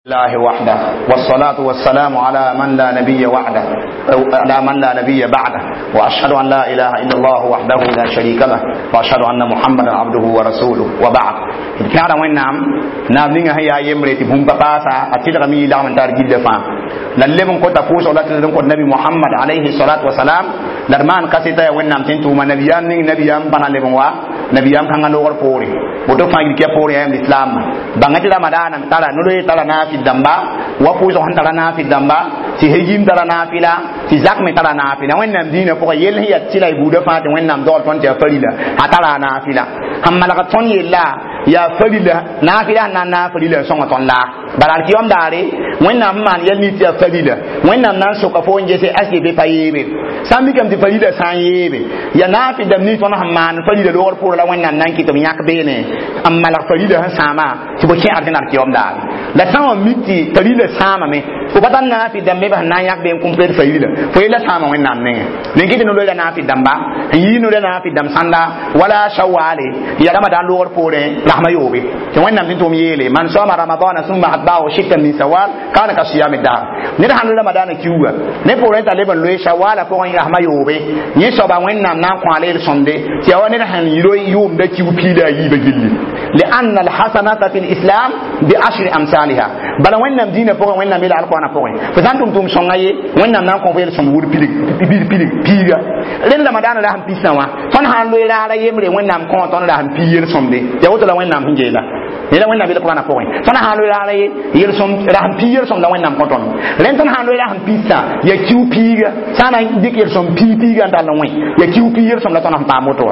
الله وحده والصلاة والسلام على من لا نبي وعده أو على من لا نبي بعده وأشهد أن لا إله إلا الله وحده لا شريك له وأشهد أن محمدا عبده ورسوله وبعد كان وين نعم نعم نيغا هي يمري تبون باسا أتلغ مي لا من تارجي دفا للم كنت فوز ولا تلم كنت نبي محمد عليه الصلاة والسلام لرمان كاسيتا وين نعم تنتو ما نبيام نيغ نبيام بنا لبوا نبيام كان لوغر فوري woto fãa yik ya poorẽ yaa lislaam bãnga tɩ ramadaana tara no-loe tara naafɩl dãmba wa pʋʋsg sẽn tara naafɩl dãmba tɩ hejim tara naafɩla tɩ zak me tara naafɩla wẽnnaam dĩinã pʋgã yell sẽn yaa tɩla y buudã fãa tɩ wẽnnaam dogl tõnd tɩ yaa farila a tara a naafɩla sẽn malg tõnd yella yaa farila naafɩla sẽn na n naag farila n sõnga tõnd laa bala alkiyom daare wẽnnaam sẽn maan yɛl nins tɩ yaa farila wẽnnaam na n soka fo n gese aske be pa yeebe sã n mikame tɩ farila sã n yeebe yaa naafɩl dãmb nins tõnd sẽn maan farila loogr pʋʋrã la wẽnnaam na n kɩt b yãk beene n malg farila sẽn sãama tɩ bõ kẽ arjẽn alkiyom daare la sã n wa mik tɩ farila sãamame fo pa tar naafɩl dãmb me sẽn na n yãk be n complete farila fo yella sãama wẽnnaam nengẽ nen kɩ tɩ no-loeera naafɩl dãmba n yii no-loeera naafɩl dãmb sãnda wala shawale ya ramadan loogr poorẽ rahma yoobe tɩ wẽnnaam tɩ tʋm yeele man soma ramadana summa atba'ahu sittan min sawal kana ka siyami dahr ned sãn loe ramadaana kiuga ne poorẽ t'a leb n loe shawala pʋgẽ rahma yoobe yẽ soaba wẽnnaam na n kõ a leel sõmde tɩ yaa wa ned sẽn loe yʋʋmda kiu piila a yiibã gilli لأن الحسنة في الإسلام بعشر أمثالها بل وين دين فوق وين ميل القرآن فوق فسانتم توم سونغاي وين نام كون فيل سوم وور بيلي بيلي بيلي بيغا لين رمضان لا هم بيسنا وا تون هان لوي لا يمري وين نام كون تون لا هم بيير سوم دي يا وتو لا وين نام هنجيلا لا وين نام القرآن فوق تون هان لوي لا يل سوم لا هم بيير سوم لا وين نام كون تون لين تون هان لوي لا هم بيسا يا كيو بيغا سانا ديك يل سوم بي بيغا ndal wen ya kiu piyel som la ton pa moto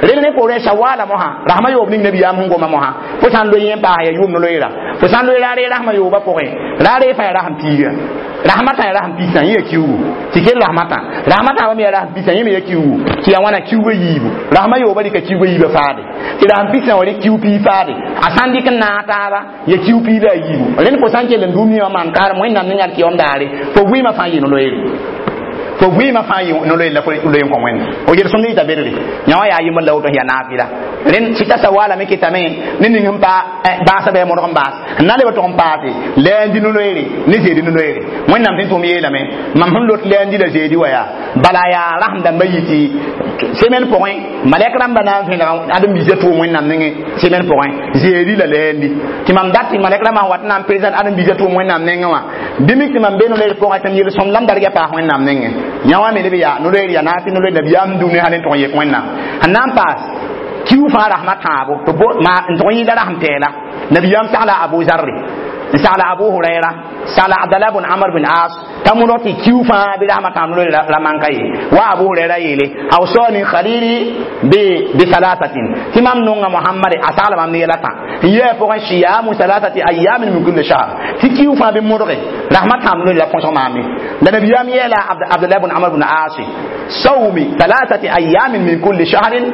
rel ne pore shawala moha rahma yob ning nabiyam sẽn goma mosã fo sã n loe yẽ paas ya yʋʋm no-loeera fo sã n loe raare rasmã yooba pʋgẽ raare fãa ya rasm piiga rasmã tã ya rasm pisã yẽ ya kiugu tɩ kell rasmã tã rasmã tãabã me ya rasm pisã yẽ me ya kiugu tɩ ya wãna kiuga yiibu rasmã yooba rɩka kiuga yiibã faade tɩ rasm pisã wa rɩk kiu pii faade a sã n dɩk n naag taaba ya kiu pii la a yiibu rẽnd fo sã n kell n dũm yẽ wã maan kaarem wẽnnaam ne yãl kɩyom daare fo vɩɩmã fãa yɩ no-loeere fo vɩɩmã fãa yɩ no-loeer la fo loe n kõ wẽnde fo yel-sõmd yɩta berre yã wã yaa yembr la woto sẽn yaa naafɩla rẽnd sɩta sawala me kɩtame ne ning sẽn pa baasã bɩ modg n baas n na n leb tʋg n paase lɛɛndi no-loeere ne zeedi no-loeere wẽnnaam tɩ n tʋm yeelame mam sẽn lot lɛɛndi la zeedi wa yaa bala yaa rasem dãmbã yɩ tɩ semaine pʋgẽ malɛk rãmbã na n vẽnega ãdem-biisã tʋʋm wẽnnaam nengẽ semaine pʋgẽ zeedi la lɛɛndi tɩ mam dat tɩ malɛk rãmbã sẽn wat n na n présent ãdem-biisã tʋʋm wẽnnaam nengẽ wã bɩ mik tɩ mam be no-loeer pʋgẽ tɩ m yel-sõmd la m darga paas wẽnnaam nengẽ yã wã me leb yaa no-loeer yaa naafɩ no-loeer nabiyaam dũni sã ne tʋg n yek wẽnnaam sẽn na n paas kiu fãa rasmã tãabo tɩ n tʋg n yɩɩda rasm tɛɛla nabiyaam sagla abu zarre n sagla abu huraira sagla abdallah bn amr bin as t'a modg tɩ kiu fãa bɩ rasmã tãab no-loeer ra manka ye wa abu huraira yeele awsani khalili bi salasatin tɩ mam nonga mohamade a sagla mam ne yɛla tã n yɛɛ pʋgẽ siyamu salasati ayamin min kulli shahr tɩ kiu fãa bɩ modge rasmã tãab no-loeer la põsg maame la nabiyaam yeela abdallah bn amr bin as sawmi thalathati ayamin min kulli shahrin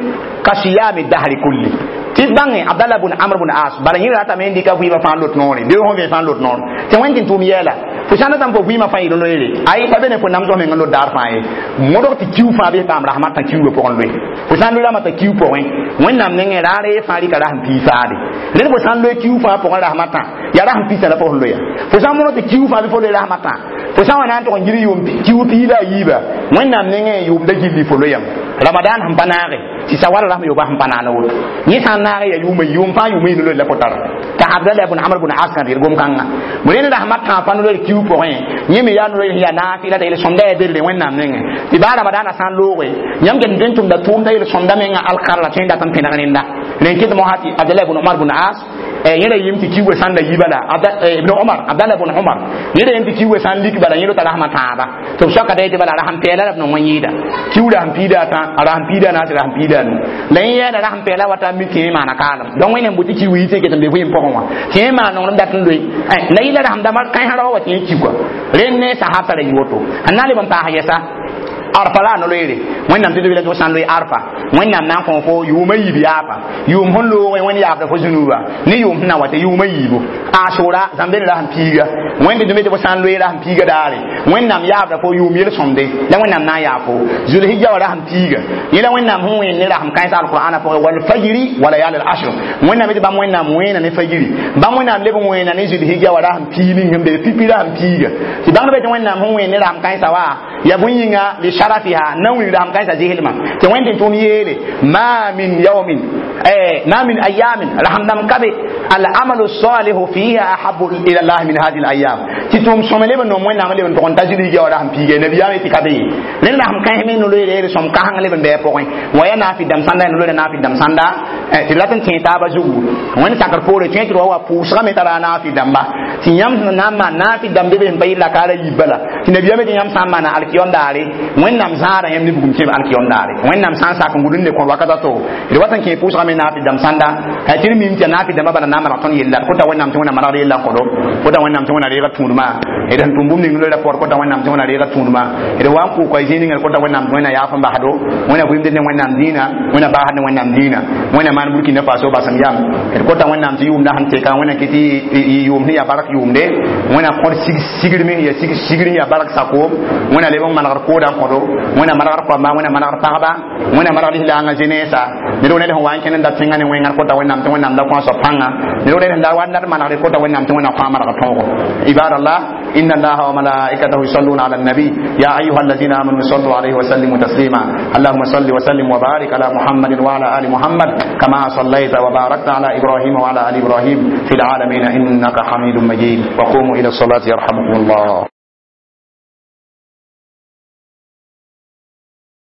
ka siyami dahri kulli tɩ bãnge abdallah bn amr bn as bala yẽ ratame n dɩka vɩɩmã fãa lot noore bɩ fõ vẽ fãa lot noor tɩ wẽn tɩ n tʋʋm yɛɛla fo sã n datame fo vɩɩmã fãa yɩl loeere ay pa be ne fo namsg meng n lot daar fãa ye modg tɩ kiu fãa bɩ paam rasmã tã kiugã pʋgẽ loe fo sã n loe rasmã tã kiu pʋgẽ wẽnnaam nengẽ raare fãa rɩka rasm pii faade rẽnd fo sã n loe kiu fãa pʋgẽ rasmã tã yaa rasm pisã la fo sẽn loeya fo sã n modg tɩ kiu fãa bɩ fo loe rasmã tã fo sã n wa na n tʋg n gir yʋʋm kiu pii la a yiiba wẽnnaam nengẽ yʋʋmda gilli fo loyame ramadan sẽn pa naage tɩ sawal rasm yooba sẽn pa naana woto yẽ sã n naage ya yʋʋma yʋʋm fãa yʋʋma yɩ no-loeer la fo tara t'a abdallah bn amr bn as kãn rɩd gom-kãngã rẽnd rasmã tãab fãa no-loeer kiu pʋgẽ yẽ me yaa no-loeer sẽn yaa naafɩla t'a yel-sõmda yaa berre wẽnnaam nengẽ tɩ baa ramadaanã sã n looge yãmb get n tʋmda tʋʋmda yel-sõmda menga alkar la tõe n dat n pẽneg rẽnda rẽn kɩt mosã tɩ abdallah bn omar bn as yẽ ra yɩm tɩ kiugã sã n la yi bala ibn omar abdallah bn omar yẽ ra yem tɩ kiugã sã n lik bala yẽ rota rasmã tãaba tɩ b soaka da yetɩ bala rasm pɛɛla la b nong wã yɩɩda kiu rasm piida a tã a rasm piida a naase rasm piida a nu la yẽ yɛɛda rasm pɛɛla wata n mi tɩ yẽ maana kaalem donc wẽnnaam bʋ tɩ kiu yɩ tɩ ket n be vɩɩm pʋgẽ wã tɩ yẽ maan nonglem dat n loe la yɩla rasm dãmbã kãensã rao wa tɩ yẽ ki kɔa rẽnd ne sahab tara yɩ woto sẽn na n leb n paas yɛsa Arfa la no-loeere Wẽnnaam tɩ tɩ fo sã n loe arfa, Wẽnnaam na n kõ fo yʋʋma yiib yaapa, yʋʋm sẽn loogẽ Wẽnd yaabda fo zũnuuba ne yʋʋm sẽn na wa tɩ yʋʋma yiibu. Asʋra zãmbeen rasem piiga, Wẽnd tɩ tɩ fo sã n loe rasem piiga daare, Wẽnnaam yaabda fo yʋʋm yel-sõmde la Wẽnnaam na n yaa fo. Zulhijja wa rasem piiga, yẽ la Wẽnnaam sẽn wẽen ne rasem kãens alqur'ana pʋgẽ, walfajri wa layal al ashr. Wẽnnaam tɩ bãmb Wẽnnaam wẽena ne fajiri, bãmb Wẽnnaam leb n wẽena ne zulhijja wa rasem piig ning sẽn be pipi rasem piiga. Tɩ bãngdbã tɩ Wẽnnaam sẽn wẽen ne rasem kãensã wa ya bõe yĩnga li sharafiha na wilg rasem kãensã zɩslmã tɩ Wẽnd tɩ tʋʋm yeele ma min yawmin, ma min ayamin, rasem dãmb ka be, al amalu salihu fiha ahabu ila Allah min hadihi al ayam, tɩ tʋʋm sõme leb n nom Wẽnnaam leb n tʋg n ta zulhijja wa rasem piiga. Nabiyaam tɩ ka be rẽnd rasem kãens me no-loeere sõm kãseng leb n bɩ a pʋgẽ wa ya naafɩ dãmb sãnda, no-loeera naafɩ dãmb sãnda tɩ rat n tẽ taabã zugu. Wẽnd sakr poore tõe tɩ wa wa pʋʋsgame tara naafɩ dãmba tɩ yãmb sẽn na n maan naafɩ dãmb be be sẽn pa yɩl rakaara yiib bala, tɩ nabiyaame tɩ yãmb sã n maana alkiyom daare, Wẽnnaam zãada yãmb ne bugum kẽb alkiyom daare. Wẽnnaam sã n sak n gʋd n le kõ wakata to d wat n kẽ pʋʋsgame naafɩ dãmb sãnda tɩ d mim tɩ naafɩ dãmbã bala na n maneg tõnd yella. D kota Wẽnnaam tɩ Wẽnnaam manegd yella n kõdo, kota Wẽnnaam tɩ Wẽnna reega tũudmã d sẽn tʋm bũmb ning loeera pɔr, kota Wẽnnaam tɩ Wẽnna reega tũudmã d wa n kʋʋka zĩig ninga, d kota Wẽnnaam tɩ Wẽnna yaaf n basdo, Wẽnna vɩɩmd ne Wẽnnaam dĩinã, Wẽnna baasd ne Wẽnnaam dĩinã, Wẽnna maan Burkina Faso basem yam. D kota Wẽnnaam tɩ yʋʋmda sẽn teka, Wẽnna kɩ tɩ yʋʋm sẽn yaa bark yʋʋmde, Wẽnna kõd sigrme ya sigr yaa bark sakoom, Wẽnna leb n manegd kooda n kõdo, Wẽnna manegd koamba, Wẽnna manegd pagba, Wẽnna manegd lislaangã zeneesa. Ned ned sẽn wa n kẽnd n da tẽngã ne wẽngar, kota Wẽnnaam tɩ Wẽnnaam da kõ a soab pãnga. Ned ned sẽn da wa n dat manegd, kota Wẽnnaam tɩ Wẽnnaam kõ a manegd tõogo. Ibadallah, إن الله وملائكته يصلون على النبي يا أيها الذين آمنوا صلوا عليه وسلموا تسليما. اللهم صل وسلم وبارك على محمد وعلى آل محمد كما صليت وباركت على إبراهيم وعلى آل إبراهيم في العالمين إنك حميد مجيد. وقوموا إلى الصلاة يرحمكم الله.